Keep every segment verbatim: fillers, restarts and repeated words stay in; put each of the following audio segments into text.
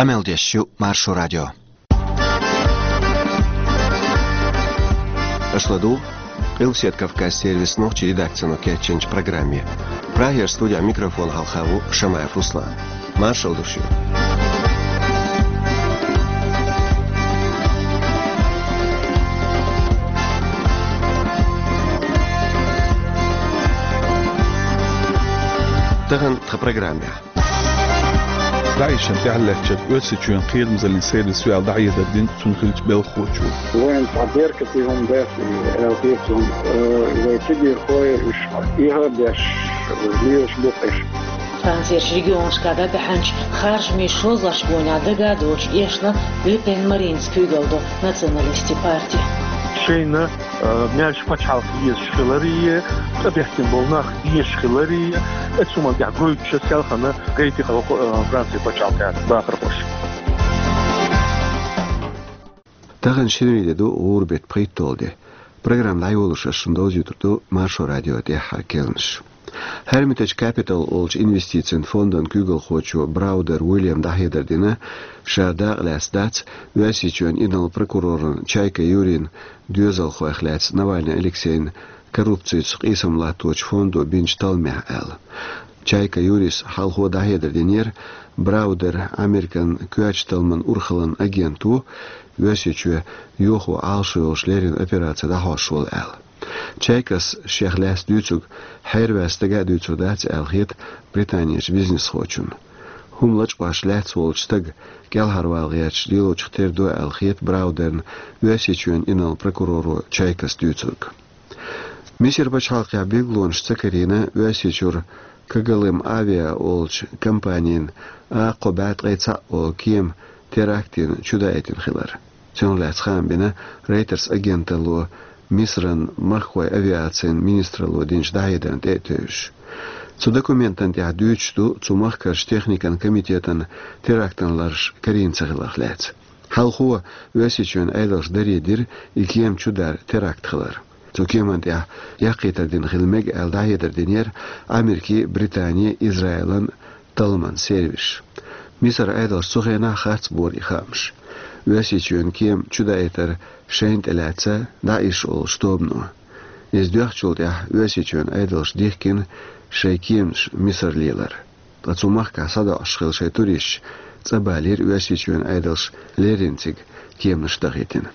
Къамел деш ю Маршо радио. Аша ладугӀу Къилбаседа Кавказан сервисан нохчийн редакцино кечйинчу программе. Прагера студехь микрофон хьалха ву Шамаев Руслан. Маршалла ду шуьга. Тахана тхан программехь. ДАИШан тӀаьхьалаьцначуьнга Оьрсийчоьнан кхерамзаллин сервисо аьлла дӀахьедар дина цунна хиллачу белхахочо. Вайн цхьа беркате хӀума дац, аьлла хета суна, э, вай цига хьоьху уьш, тӀаьхьа беш, лелаш бу-кх уьш. Францерчу регионашкахь дӀабаьхьначу харжамийн шозлагӀчу гонехь дага а доцуш эшна Ле Пен Маринас куьйгалла до националистийн парти. Шайна, э, маьрша пачхьалкх езаш хиларе, тӀебеттина болу нах дезаш хиларе, оцу хӀуманна тӀехь гойтуш селхана гайти хьо, э, Францин пачхьалкхехь бахархоша. Тахана шинарин де ду, гӀуран беттан пхийтталгӀа де. Программа дӀайолош ас шуна довзуьйтур ду Маршо радион тӀаьххьара керланаш. Hermitage Capital олучу инвестицийн фондана куьйгалхочо Браудер Уильяма дӀахьедар дина, ша дакъа лаьцна дац Оьрсийчоьнан инарла прокуроран Чайка Юрин доьзалхойх лаьцна Навальный Алексейн коррупцица къийсам латточу фондо бинчу талламехь аьлла. Чайка Юрис хьалхо дӀахьедар динера Браудер Американ коьртачу талламан урхаллин агент ву, Оьрсийчоь йохо Ӏалашо йолуш леррина операци дӀахьош волу аьлла. Чайкас шех лаьцна дуьйцург хьерваьлла стага а дуьйцур дац аьлла хета Британерчу бизнесхочунна. ХӀума лачкъош лаьцна волчу стага кӀелхьарвала гӀерташ лелочух тера ду аьлла хета Браудерна Оьрсийчоьнан инарла прокуроро Чайкас дуьйцург. Мисар пачхьалкхехь билгалонаш ца карийна Оьрсийчуьра Кагалым Авиа олучу компанин А кхо бӀе ткъе цхьаъ олу кема терактина чудаийтина хилар. Цунах лаьцна хаам бина Reuters агенталло Мисран махкахойн авиацин министралло динчу дӀахьедарна тӀе а тевжаш. Цу документана тӀехь дуьйцуш ду цу махкарчу техникан комитетан терактан лараш карийна ца хиларх лаьцна. Хьалхо Оьрсийчоьнан Ӏедалша даре дира и кема чудар теракт хилар. Цу кеманна тӀехь яккхийтар дина хила мега аьлла дӀахьедар динера Америкин, Британин, Израилан талламан сервисаш. Мисар Ӏедалша цу хенахь харц бора и хаамаш. Оьрсийчоьнан кема чудаийтар шайна тӀелаьцна ДаӀиш олучу тобано. Иза доьхначул тӀаьхьа Оьрсийчоьнан Ӏедалша дихкина шайн кеманаш Мисар лелар. Ткъа цу махкахь схьадоӀуш хилла шайн туристаш цӀа балийра Оьрсийчоьнан Ӏедалша леррина цига кеманаш дахийтина.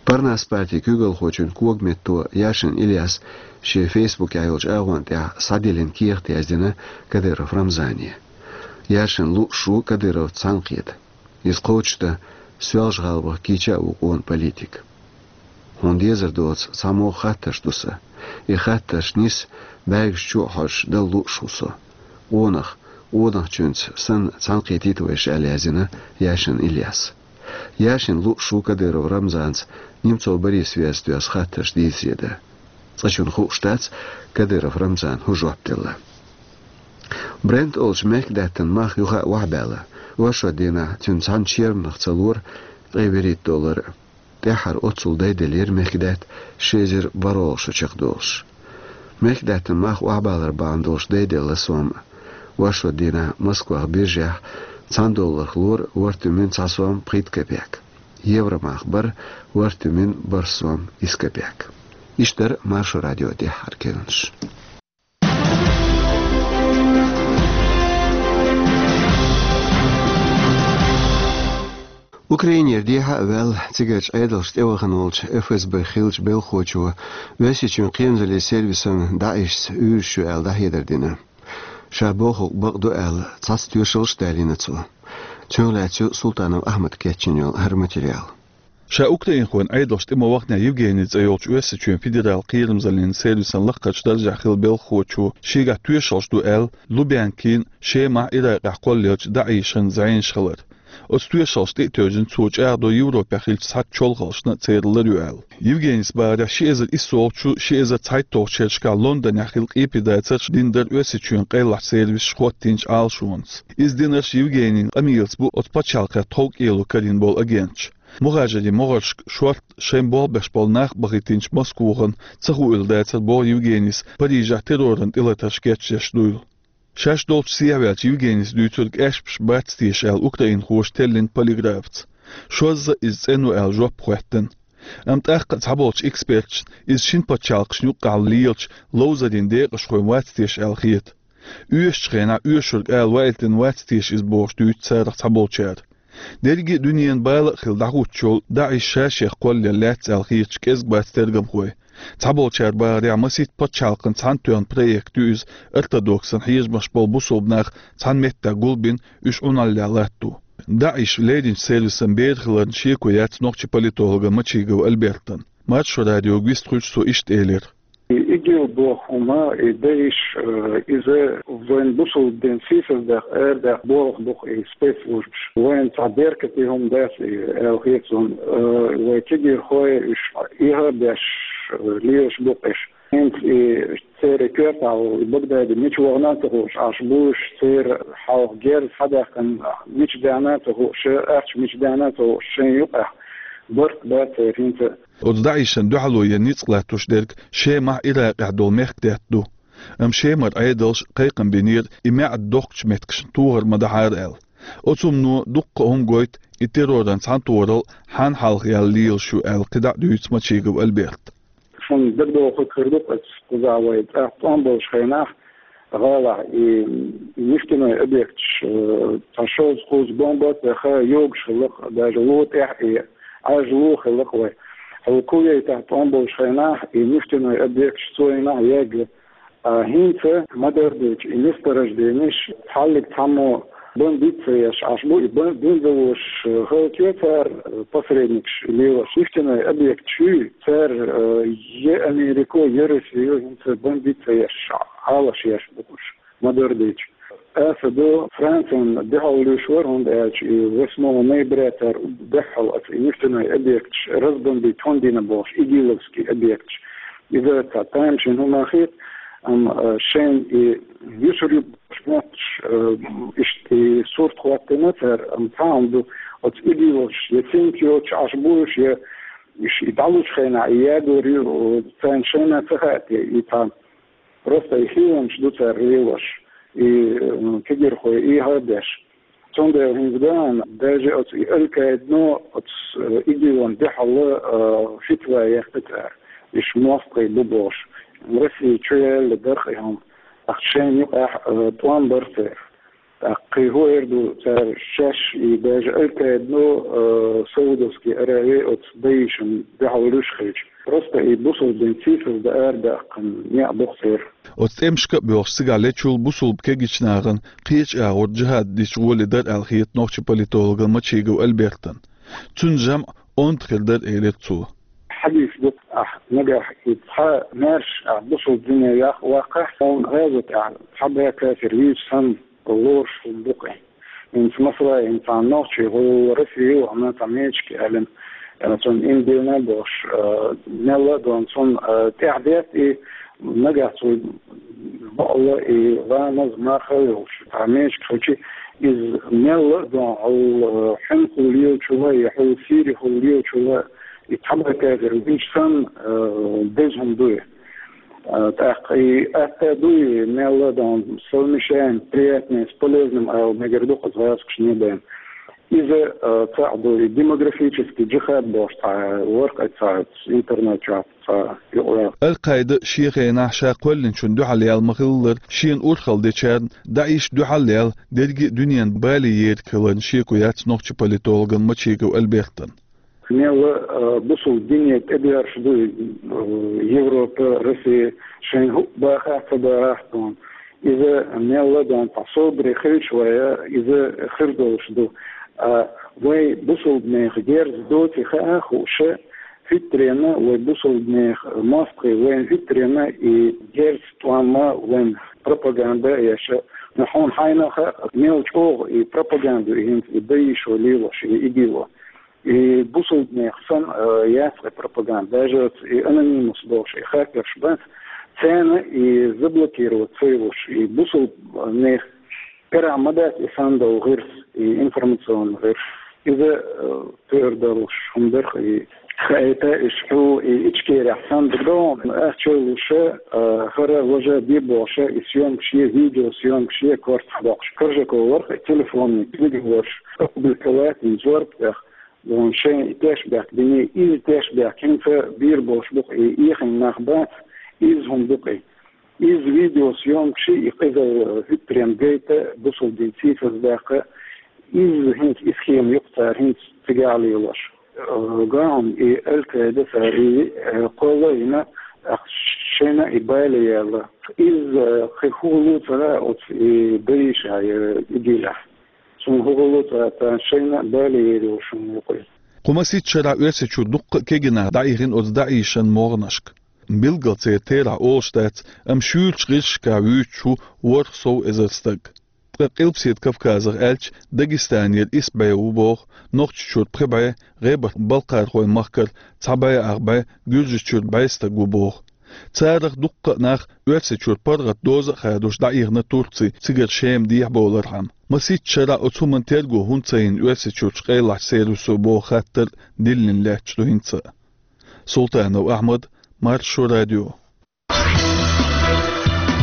Парнас партин куьйгалхочун когаметто Яшин Ильяс шен фейсбукехь йолчу агӀонна тӀехь схьадиллина кехат яздина Кадыров Рамзане. Яшин лууш ву Кадыровца цхьаьнакхета. Иза кхочушдан Соьлжа-ГӀалахь кийча а ву къона политик. Хьуна дезар доцу цхьамогӀа хаттарш ду сан. И хаттарш нис бӀаьргаш чу а хьожуш дала лууш ву со. Къонах, къонахчуьнца санна цхьаьнакхетийта вайша аьлла яздина Яшин Ильяс. Яшин лууш ву Кадыров Рамзанца Немцов Борисаца доьзна хаттарш дийцаре дан. Цкъачунна хууш дац, Кадыров Рамзана хӀун жоп делла. Брент олучу мехкадаьттан мах юха а охьабаьлла. Оршот дийнахь цуьнан цхьана черманах ца лора ткъе вуьрхӀитта доллар. ТӀаьххьара оццул дайделлера мехкадаьтта ши эзар бархӀалгӀа шо чекхдолуш. Мехкадаьттан мах охьабалар бахьана долуш дайделла сом. Оршот дийнахь Москвахь биржехь цхьана долларх лора ворхӀ туьмин цхьа сом пхийтта копейк. Евромах бара ворхӀ туьмин бархӀ сом исс копейк. Иштта дара Маршо радион тӀаьххьара керланаш. Украинера дехьа а ваьлла, цигарчу Ӏедалшна тӀевахана волчу ФСБ хиллачу белхахочо Оьрсийчоьнан кхерамзаллин сервисан ДаӀишца уьйраш ю аьлла дӀахьедар дина. Ша бохург бакъ ду аьлла, цхьацца тоьшаллаш а далийна цо. Цунах лаьцна ю Султанов Ахьмада кечйина йолу хӀара материал. Ша украинхойн Ӏедалшна тӀе ма ваханехь, Евгений цӀе йолчу Оьрсийчоьнан федералан кхерамзаллин сервисан лакхарчу даржехь хилла белхахочо шегахь тоьшаллаш ду аьлла, Лубянкин, Шемахь, Иракъехь кхоллаелчу ДаӀишан зӀенаш хилар. Оцу тоьшаллашна тӀе а тевжина, цо чӀагӀдо Европехь хиллачу цхьацца чолхаллашна а церан лар ю аьлла. Евгенийс бахарехь, ши эзар иссолгӀачу, ши эзар цхьайтталгӀачу шерашкахь Лондонехь хилла къепедацарш дина дара Оьрсийчоьнан къайлахчу сервисаша хӀоттийначу Ӏалашонца. Иза динарш Евгенийн къамелаца бу оцу пачхьалкхех тховкӀело карийна болу агенташа. Мухажирийн могӀаршка шортта шайн болх беш болу нах а бахийтинчу Москвахана ца хуийла дацара боху Евгенийс Парижехь терроран тӀелатарш кечдеш дуйла. Шаьш долчу сехьаваьллачу Евгенийс дуьйцург аьшпаш бац теша аьлла украинхоша теллина полиграфца. Шозза иза цӀена ву аьлла жоп хоьттина. Амма тӀаккха а цхьаболчу эксперташна иза шина пачхьалкхашна юккъехь лелачу ловзарийн декъашхойн вац теша аьлла хета. Оьшучу хенахь оьшург ала ваийтина вац теша иза бохуш дуьйцу царах цхьаболчара. Дерриге а дуьненан бала а хилла дӀахӀуттуш йолу ДАИШ ша-шех кхоллаелла лаьцна аьлла хеташ кӀезиг бац тергамхой. Цхьаболчара бахарехь, масийтта пачхьалкхан цхьаьнатоьхна проект ю иза ортодоксан хьежамаш болу бусулба нах цхьана меттехь гулбина, уьш Ӏуналлехь латто. ДАИШ леринчу сервисан бер хиларна шеко яц нохчийн политологан Мачигов Альбертан. Маршо радиога вистхуьлуш цо иштта элира. И ИГИЛ боху хӀума, и ДАИШ, э, иза вайн бусулба дин сийсаздаккха, арадаккха болх бу-кх и спецслужбаш. Вайна цхьа беркате хӀума дац и, аьлла хета суна, э, вай кегийрхой уьш эхьа а беш, э, лелаш бу-кх уьш. ХӀинца и церан коьртахь волу и Багдади мича вахана а ца хууш, Ӏаш бу уьш, церан хьалха герз схьадаьккхина мича даьхна а ца хууш, ахча мича даьхна а ца хууш, шайна юкъахь барт бац церан хӀинца. Оцу ДАИШан дуьхьало ян ницкъ латтош дерг Шемахь, Иракъехь долу мехкдаьтта ду. Амма Шемара Ӏедалша кхайкхам бинера и маьӀда дохкучу меттигашна тохар ма дахьара аьлла. Оцу хӀумано дуккха а хӀума гойту и терроран цхьаьнатохаралла хьанна хьалха яьлла лелаш ю аьлла кхидӀа а дуьйцу Мачигов Альберта. Шуна дагадогӀург хир ду-кх, аса кхузахь вай тӀаккха тӀом болчу хенахь, гӀалахь и нефтяной объекташ, э, цхьа шовзткъа-кхузткъа бомба а тӀеха йогуш хилла-кх, даже ло тӀехь и Ӏаьржа ло хилла-кх вай. Хьула Кувейтехь тӀом болчу хенахь и нефтяной объекташ цу хенахь ягга. А хӀинца ма-дарра дийцича, и месторожденеш цхьаллиг цхьаммо бан диц ца еш Ӏаш бу, и бан динзалош хӀаллакье цара, э, посредникаш лелош, нефтяной объекташ ю, цара, э, я Америко, я Россио хӀинца бан диц ца еш, Ӏалаш еш бу уьш, ма-дарра дийцича. Аса ду, Францин дуьхьал луьйш вара, хӀунда аьлча и восьмого ноября цара дуьхьал аса и нефтяной объекташ разбомбить хӀунда дина бохуш, игиловский объекташ. Иза цхьа тамашийна хӀума хета, амма, э, шайна и юьсур ю бохуш мотташ, э, иштта и сурт хӀоттийна цара, амма цхьа хӀума ду, оцу игиловцаш я цинка йоцуш Ӏаш бу уьш, я уьш и дӀалучу хенахь и ягор ю, царна шайна ца хаьа те, и цхьа просто и хиламаш ду цара лелош, и, м, кегийрхой эхьа а беш. Цундела хӀинца бахьана, даже оцу и Аль-Каидано оцу, э, игилан дуьхьал, э, фитва яьккхи цара. Уьш мостагӀий бу бохуш. Россия чу яьлла дара-кх и хӀума. ТӀаккха шайна юкъахь, э, тӀом бара церан. ТӀаккха кхин хӀун эр ду цара шаьш, и даже Аль-Каидано, э, Саудовский Аравия оцу ДАИШан дуьхьал луьйш хилча. Просто и бусулба дин сийсаздан арадаьккхина некъ бу-кх церан. Оцу тӀемашка а боьлхуш, цигахь лечул бусулба кегийчу нахана кхечу агӀор джихад дича гӀоле дара аьлла хета нохчийн политологан Мачигов Альбертан. Цуьнан жамӀ онда хир дара, элира цо. Хьадис ду, ахь нагахь и цхьа маьрша ахь бусулба дине ваккхахь, хьуна гӀазот ахь цхьа бӀе кафир вийча санна лоруш хӀума бу-кх и. ХӀинца масала, хӀинца цхьана нохчий, хӀума Россия ю, амма цхьа мечиг аьллина, э, цунна иман диллина бохуш, э, мелла а дон цунна, э, тӀаьхьа детта и нагахь цо бакъалла и ламаз, марха а йолуш, цхьа мечиг хилча, иза мелла а дон хьула, э, хьуьнхула лелачул а, я хьула сийрихула лелачул а, и цхьа бӀе кафир вийча санна, э, деза хӀума ду и. А, тӀаккха и атта а ду и, мелла а дан совмещаем приятное с полезным аьлла мегар ду-кх оцу гӀазкхашна бен. Иза, а, цхьаъ ду, и демографический джихад бохуш цхьа вара-кх цхьа интернет чохь цхьа юкъаваьлла. Аль-Каида шен хенахь ша кхоьллинчунна дуьхьал яьлла ма-хиллара, шена урхалла дечарна ДАИШ дуьхьал яьлла дерриге а дуьненан бале ерг хиларна шеко яц нохчийн политологан Мачигов Альбертан. Мелла, э, бусулба дине тӀедоьрзуш ду, э, Европа, Россия, шайн хӀуъа бахахь а, ца бахахь а тхуна. Иза мелла а дон цхьа собаре хилча вай, иза хир долуш ду. А вай бусулбанех герз доций хаа а хууш, хӀуьттаренна вай бусулбанех мостагӀий вайна хӀуьттаренна и герз тӀом а, вайн пропаганда а еш, но хьуна хьайна а хаьа, мел чӀогӀа и пропаганда ю и хӀинца и ДАИШо лелош, и ИГИЛо. И бусулбанех санна, э, яц и пропаганда. Даже оцу и анонимус бохуш и хакерш бац, царна и заблокировать ца йолуш, и бусулбанех карахь ма дац и санна долу гӀирс, и информационный гӀирс. Иза, э, тӀера долуш хӀума дара-кх и. Хаита ишху и Ичкерехь санна догӀун, ах чолуша, а, хара важа бибоша, и съёмкаш е, видеосъёмкаш е корта боккхуш. Коржаков варх, и телефонный переговорш опубликовать, и зорб тӀех, вон шайн и теш бехк бини, из теш бехк хинца бир болуш букъ, и ихин нах бац, из хӀун букъ и. Из видеосъёмкаш и къизал, э, хӀуьттаренна гайта, бусулба дин сийсаз баьккха, из хӀинца, и схема юкъа цара хӀинца цигахь лелош. Э, гахьун и Аль-Каида цара и, э, кхолла а йина, ах шайна и бале яьлла. Из, э, кхин хӀун луцара оцу и Дариша, э, идилахь. Цунна хӀун луцара царна шайна бале яр йолуш хӀума юкъа. Кху масийтта шарахь Оьрсийчуьра дуккха а кегий нах дӀаихина оцу ДАИШан могӀанашка. Билггал церан терахь олуш дац, амма шуьйрачу гӀирсашкахь вуьйцуш ву ворхӀ сов эзар стаг. Ткъа Къилбаседа Кавказах аьлча, Дагестанера исс бӀе ву боху, Нохчийчуьра пхи бӀе, ГӀебарх-Балкхархойн махкара цхьа бӀе ах бӀе, Гуьржийчуьра бӀе стаг ву боху. Царах дуккха а нах Оьрсийчуьра паргӀат доза а хадош дӀаихна Турци, цигара Шема дехьабовлархьама. Масийтта шарахь оцу хӀуманна терго хӀунда ца йина Оьрсийчуьрчу къайлахчу сервисо боху хаттар диллина лаьтташ ду хӀинца а. Султанов Ахьмад, Маршо радио.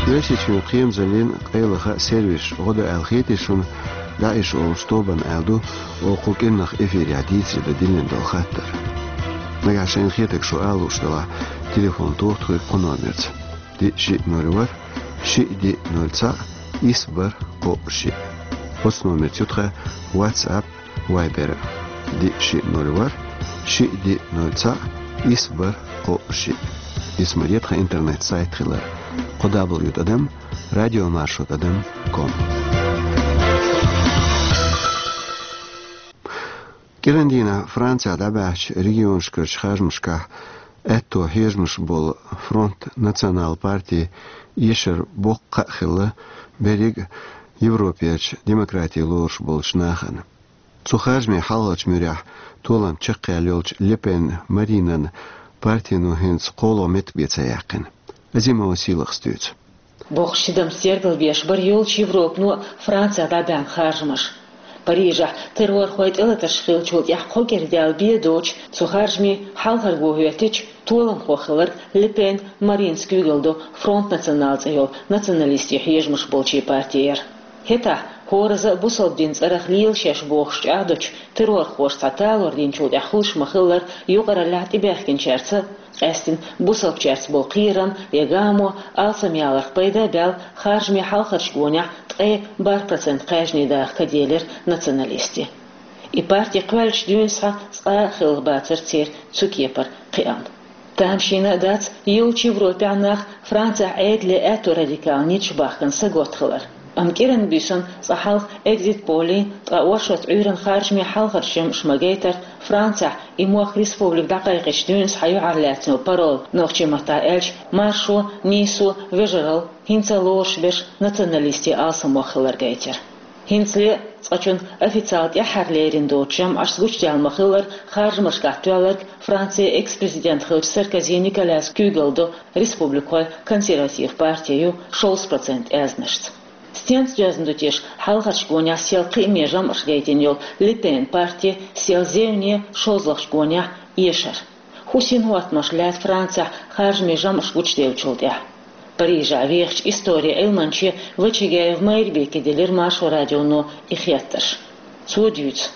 Оьрсийчоьнан кхерамзаллин къайлаха сервисаш гӀо до аьлла хетий шуна, ДАИШ олучу тобанна аьлла ду, оха кху кӀиранах эфирехь дийцаре дан диллина долу хаттар. Нагахь шайна хетарг шу ала лууш делахь, телефон тоха тхоьга кху номерца: диъ шиъ ноль ворхӀ, шиъ диъ ноль цхьаъ, исс бархӀ кхоъ шиъ. Оцу номерца ю тхан WhatsApp, Viber а: диъ шиъ ноль ворхӀ, шиъ диъ ноль цхьаъ, исс бархӀ кхоъ шиъ. Исмаре тхан интернет-сайт хилар: кхо дабл ю тӀадам радиомаршо тӀадам ком. КӀиран дийнахь Францехь дӀабаьхча регионашкарчу харжамашкахь аьтто хьежамаш болу Фронт Национал партин эшар боккха а хилла берриг а Европерчу демократи лоруш болчу нахана. Цу харжамийн хьалхарчу муьрехь толам чекхъяьлла йолчу Ле Пен Маринан партино хӀинца кхоалгӀа меттиг бен ца яьккхина. Азимова Сийлахас дуьйцу. Боккхачу тидамца тергалбеш бара йолчу Европано а Францехь дӀабаьхна харжамаш. Парижехь террорхойн тӀелатарш хиллачул тӀаьхьа кхо кӀира даьлла бен доцуш, цу харжамийн хьалхарго хӀоьттича, толамхо хилларг Ле Пен Маринас куьйгалла до Фронт Национал цӀе йолу националистийн хьежамаш болчийн партера. ХӀетахь хӀораза а бусалба динан цӀарах лела шаьш бохуш чӀагӀдочу террорхоша цхьа талор динчул тӀаьхьа хуьлуш ма-хиллара, юкъараллехь тӀебаьхкинчаьрца, къаьсттина бусалбачаьрца болу кхерам я гамо алсамъяларх пайда а баьлла, харжамийн хьалхарчу гонехь ткъе бархӀ процент кхаьжнийн даха ка делира националистийн. И парти кхоьллинчу дуьйна схьа цкъа а хилла бацара церан цу кепара кхиам. Тамашийна а дац, йолчу Европехь нах Францехь Ӏедале аьтто радикал ниташ бахкана саготта хилар. Амма кӀиран буьйсанна цкъа хьалха экзит-поллий, ткъа оршот Ӏуьйранна харжамийн хьалхарчу жамӀаша ма-гайтара, Францехь и мохк республика дӀакхайкхинчу дуьйна схьа юьхьарлаьцна йолу парол, нохчийн маттахь аьлча, маршо, нийсо, вежаралла, хӀинца а лоруш берш националистийн алсамох хилар гайтира. ХӀинцале а цкъачунна официалан тӀаьххьара лерина доцу жамӀашца гучудаьлла ма-хиллара, харжамашкахь тоьлларг Францин экс-президент хиллачу Саркози Николяс куьйгалла до республикхойн консерватив парти ю шовзткъа процент аьзнашца. Стенца доьзна ду теша хьалхарчу гонехь сел кхиаме жамӀаша гайтина йолу Ле Пен парти сел зевне шозлагӀчу гонехь эшар? ХӀун синхӀоттамаш лаьтта Францехь харжамийн жамӀаш гучудевллачул тӀаьхьа? Парижехь вехачу историн Ӏилманче Вачагаев Майрбеке делира Маршо радионо и хеттарш. Цо дуьйцу.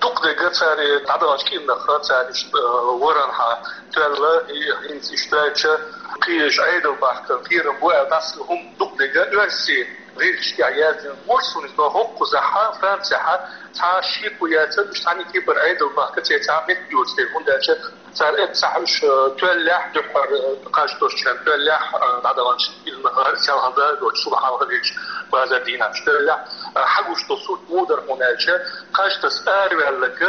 Дукха дерг цара дӀадаханчу кӀирнах цара иштта, э, варанхьа тоьлла, и хӀинца иштта аьлча, кхечу Ӏедал бахкан кхерам бу аьлла, дӀаса хӀума дукха дерг оьрсийн гӀирсашкахь яздина гуш суна иза, но хӀокхузахь Францехь цхьа шеко яцара, уьш цхьана кепара Ӏедал бахка церан цхьа меттиг йоцу дела, хӀунда аьлча цара эццахь уьш, э, тоьллехь, дуьххьара, э, кхаж тосучарна тоьллехь, э, дӀадаханчу кӀирнах селхана дагадоцуш, шуьга хьалха дечу базар дийнахь уьш тоьллехь, э, хьагуш долу сурт муха дара хьуна аьлча, кхаж таса араваьлларг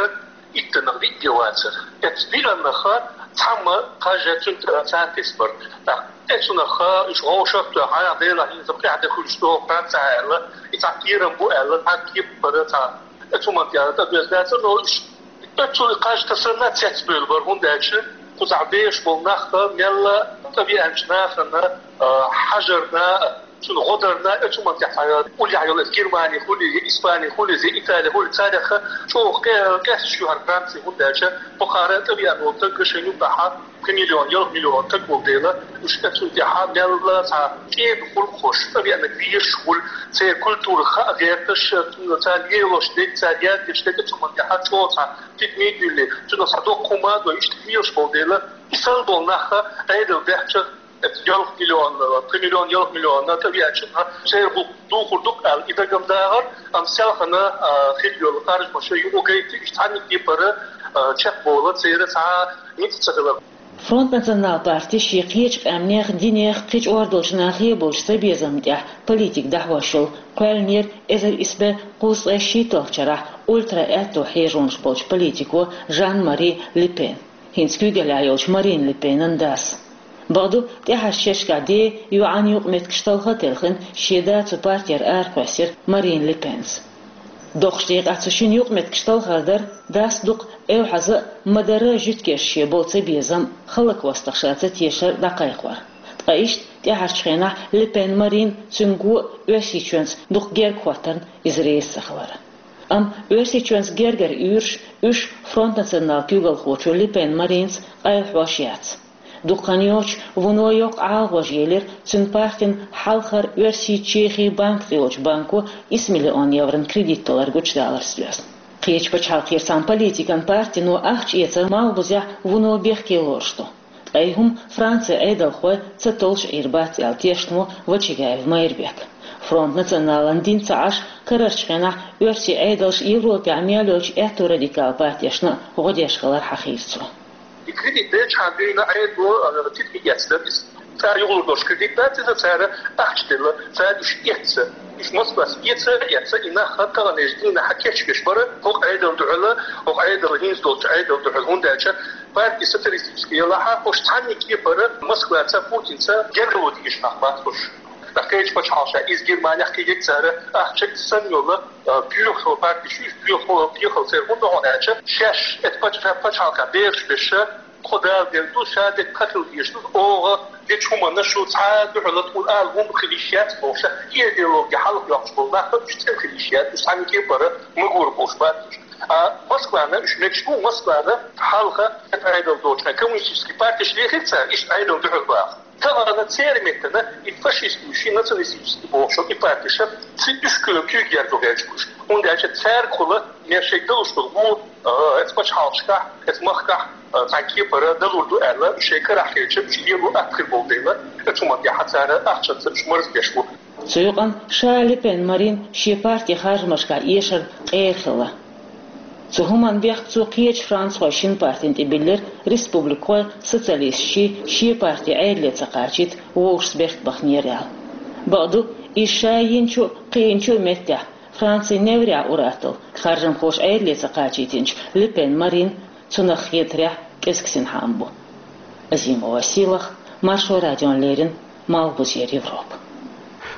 иттаннах диъ де вацара. Эцу диъаннах цхьамма кхаж цуьнан тӀера ца тесна бара. ТӀаккха эцунах уьш вовшах а тоьхна, хьанах Делахь хӀинца тӀаьхьа де хуьлуш догӀу Францехь аьлла, и цхьа кхерам бу аьлла, цхьа кепара цхьа. Эцу хӀуманна тӀера тӀедоьзна дацара, но уьш эцу кхаж тасарна цецбевлла бара, хӀунда аьлча кхузахь бехаш болу нах мелла тӀевеанчу нахана, а, хьажарна, Цунах гӀо дарна, э, цу ман тӀехь уллехь йолу Германи хуьлий, я Испани хуьлий, я Итали хуьлий, царах чӀогӀа къе-, къесташ ю хӀара Франци, хӀунда аьлча бохара тӀе веана волу таг шайн юкъахь пхи миллион, ялх миллион таг волу дела, уьш оцунна тӀехь мелла цхьа кӀеда гӀуллакхаш, тӀе веана везаш хуьлу, церан культура хаа гӀерташ, царна лелош дерг, цара яздеш дерг, цу ман тӀехь чӀогӀа цхьа тидаме а дуьллий, цунах цхьа доккха хӀума а дой, иштта хилаш болу дела, и санна болу нах Ӏедал баьхча, ялх миллион, пхи миллион, ялх миллион тӀе веача, церан гӀуллакх духур ду аьлла, и дагам дагӀар, амма селхана, а, хила йолу харжамаш юкъа гайта, иштта цхьанна кепара, а, чекхбовла церан цхьа ницкъ ца хилар. Фронт Национал парти шен кхечу къаьмнех, динех, кхечу ор долчу нахе болчу цабезамна тӀехь политика дӀахьош йолу кхоьллинера эзар исс бӀе кхузткъе шийтталгӀачу шарахь ультра-аьтто хьежонаш болчу политико Жан-Мари Ле Пен, хӀинца куьйгаллехь йолчу Марин Ле Пенан дас. Бакъду, тӀаьхьарчу шерашкахь ден, йоӀан юкъаметтигаш талха а телхина, шен да цу партера аракхоьссира Марин Ле Пенца. Доккхачу декъехь цу шинна юкъаметтигаш талхар дара, дас дукха эвхьаза а, ма-дарра а жуьгтигаш шен болу цабезам, хӀаллаквостагӀа ша ца тешар дӀакхайкхор. Ткъа иштта тӀаьхьарчу хенахь Ле Пен Марин цуьнга го Оьрсийчоьнца дукха герга хӀоттарна иза реза ца хилар. Амма Оьрсийчоьнца гергара уьйраш, уьш Фронт Национал куьйгалхочо Ле Пен Маринца къайлахьош яц. Дукха хан йоцуш вуно йоккха ӀалагӀожа елира цуьнан партин хьалхара Оьрсийчоьнан Чехин банк цӀе йолчу банко исс миллион еврон кредит таллар гучудаларца доьзна. Кхечу пачхьалкхера цхьана политикан партино ахча эцар Малхбузехь вуно бехке лоруш ду. Ткъа и хӀума Францин Ӏедалхой ца толлуш Ӏийр бац аьлла тешна ву Вачагаев Майрбек. Фронт Националан дин ца Ӏаш, карарчу хенахь оьрсийн Ӏедалша Европехь мел йолчу аьтту радикал партешна гӀо деш хилар хьахийра цо. И кредит делчхьана дуьйна Ӏедало, а, тидаме эцна иза. Цара юхалур долуш кредит дац иза, цара ахча делла, цара уьш эцна. Уьш Москваца эца а эцна, и нах таханлерчу дийнахь кечбеш бара хӀокху Ӏедална дуьхьал, хӀокху Ӏедална, хӀинца долчу Ӏедална дуьхьал, хӀунда аьлча партия социалистическая елахь, уьш цхьанна кепара Москваца, Путинца гергарло дезаш нах бац уьш. Ткъа кхечу пачхьалкхашкахь, иза Германехь кхидерг, цара ахча санна йолу, а, боьха партеш ю, боьха, боьхалла церан хӀунда хьуна аьлча, шаьш эцу пачхьа-, пачхьалкхехь бераш беш, тхо Дала дерг ду, ша дерг кхин хила дезаш ду, оха дечу хӀуманна шу цхьа а дуьхьал тхуна ала хӀума хила йиш яц бохуш, и идеологи хьалха йоккхуш болу нах уьш цӀена хила йиш яц, уьш цхьанна кепара магор болуш бац уьш. А Москвана уьш мегаш бу, Москвана хьалха Ӏедал доцучу хенахь коммунистический партеш лехира цара, иштта Ӏедална дуьхьал баха. Тахана церан меттана и фашистский, ши националистический бохуш и партеш, ци уьш куьйга герга гӀерташ бу уьш. ХӀунда аьлча цаьргахула мел шайга далуш долу гӀо, а, эцу пачхьалкхашкахь, эцу махкахь, а, цхьана кепара далур ду аьлла, шайн карахь хилча, уьш лело атта хир болу дела, оцу хӀуманна тӀехь цара ахчанца уьш марздеш бу. Цу юкъана ша Ле Пен Марин шен партин харжамашкахь эшар къера хилла. Цу хӀуманна бехк цо кхечу францхойн шина партина тӀе биллира, республикхой, социалисташ шен парти Ӏедале ца кхачийта вовшашца бехк баханера аьлла. Бакъду, иза ша йинчу а, кхиъначу а меттехь, Францин неврехь ур-атталла, харжамхоша Ӏедале ца кхачийтинчу Ле Пен Марин цунах хетарехь кӀезиг синхьа ма бу. Азимова Сийлахь, Маршо радиона леррина, Малхбузера Европа.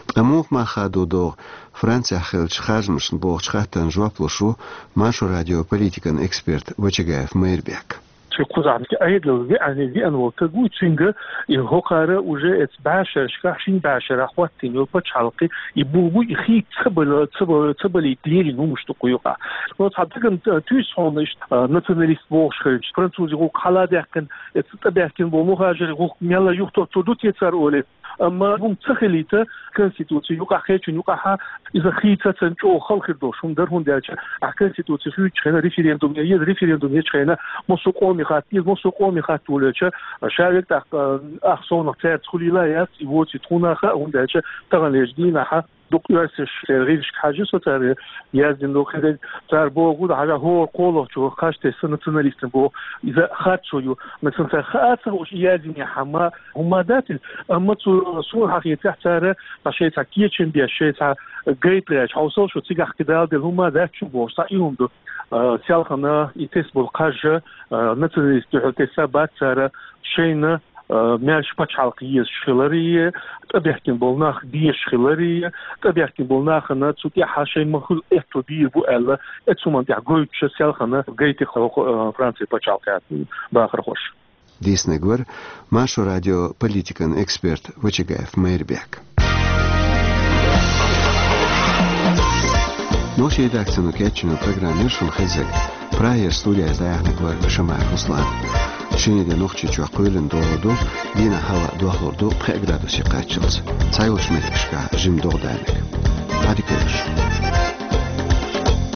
Ткъа муха мах хадо догӀу Францехь хиллачу харжамашна бохучу хаттарна жоп луш ву Маршо радион политикан эксперт Вачагаев Майрбек. Ши кхузахь Ӏедал веана, веана волу стаг ву, цуьнга и хӀокхара уже эцу бӀешерашкахь, шина бӀешарахь хӀоттийна йолу пачхьалкх, и буй, и хийца ца бала-, ца ба-, ца балийта леррина хӀуманаш ду кху юкъахь. Но цхьа дагна, а, туьйсу хьуна иштта, а, националист бохуш хилча, французийн гӀуллакх хьала а даьккхина, эцу тӀебаьхкина болу мухӀажарийн гӀуллакх мелла юхатоттур ду те цара олий. Амма хӀума ца хилийта, конституци юкъахь, кхечун юкъахь иза хийца ца, чӀогӀа хала хир долуш хӀума дара, хӀунда аьлча ахь конституци хуьйцучу хенахь референдум е еза, референдум ечу хенахь массо а къоме хатта, иза массо а къоме хатта волуьйтуш, ша век тӀаккха, ах совнах цаьрца хуьлийла яц, и воций тхуна хаьа, хӀунда аьлча таханлерчу дийнахь дукха оьрсаша церан гӀирсашка хьажа, со цара яздина ду хӀинца, цара боху, хьажа, хӀора кхоалгӀачо кхаж тесна националистна боху, иза харцо ю. Нагахь санна цара хаа ца хууш и яздинехь хӀума, хӀума дац иза, амма цу суна хьахетарехь цара цхьа шайн цхьа кечам беш, шайн цхьа гайта гӀерташ, хьовсал шу, цигахь кхидӀа Дала делла хӀума дац шу бохуш, цхьа и хӀума ду. А, селхана и тесна болу кхаж, а, националистийн дуьхьал тесна бац цара, шайна, а, маьрша пачхьалкх езаш хиларе, тӀебаьхкина болу нах дезаш хиларе, тӀебаьхкина болу нахана цу тӀехь шайн ма хуьлу аьтто бийр бу аьлла, эцу хӀуманна тӀехь гойтуш селхана гайта хӀокху, а, Францин пачхьалкхехь бахархоша. Дийцинарг вара Маршо радион политикан эксперт Вачагаев Майрбек. Нохчийн редакцино кечйина программа яра шуна хезарг. Прагера студехь дӀаяьхьнарг вара Шамаев Руслан. Шинарин де Нохчийчохь кхоьлина догӀа ду, дийнахь хӀаваъ дохлур ду пхеа градусе кхаччалц. Цхьайолчу меттигашкахь жимма догӀа даьлларг. Ӏадика йойла шун.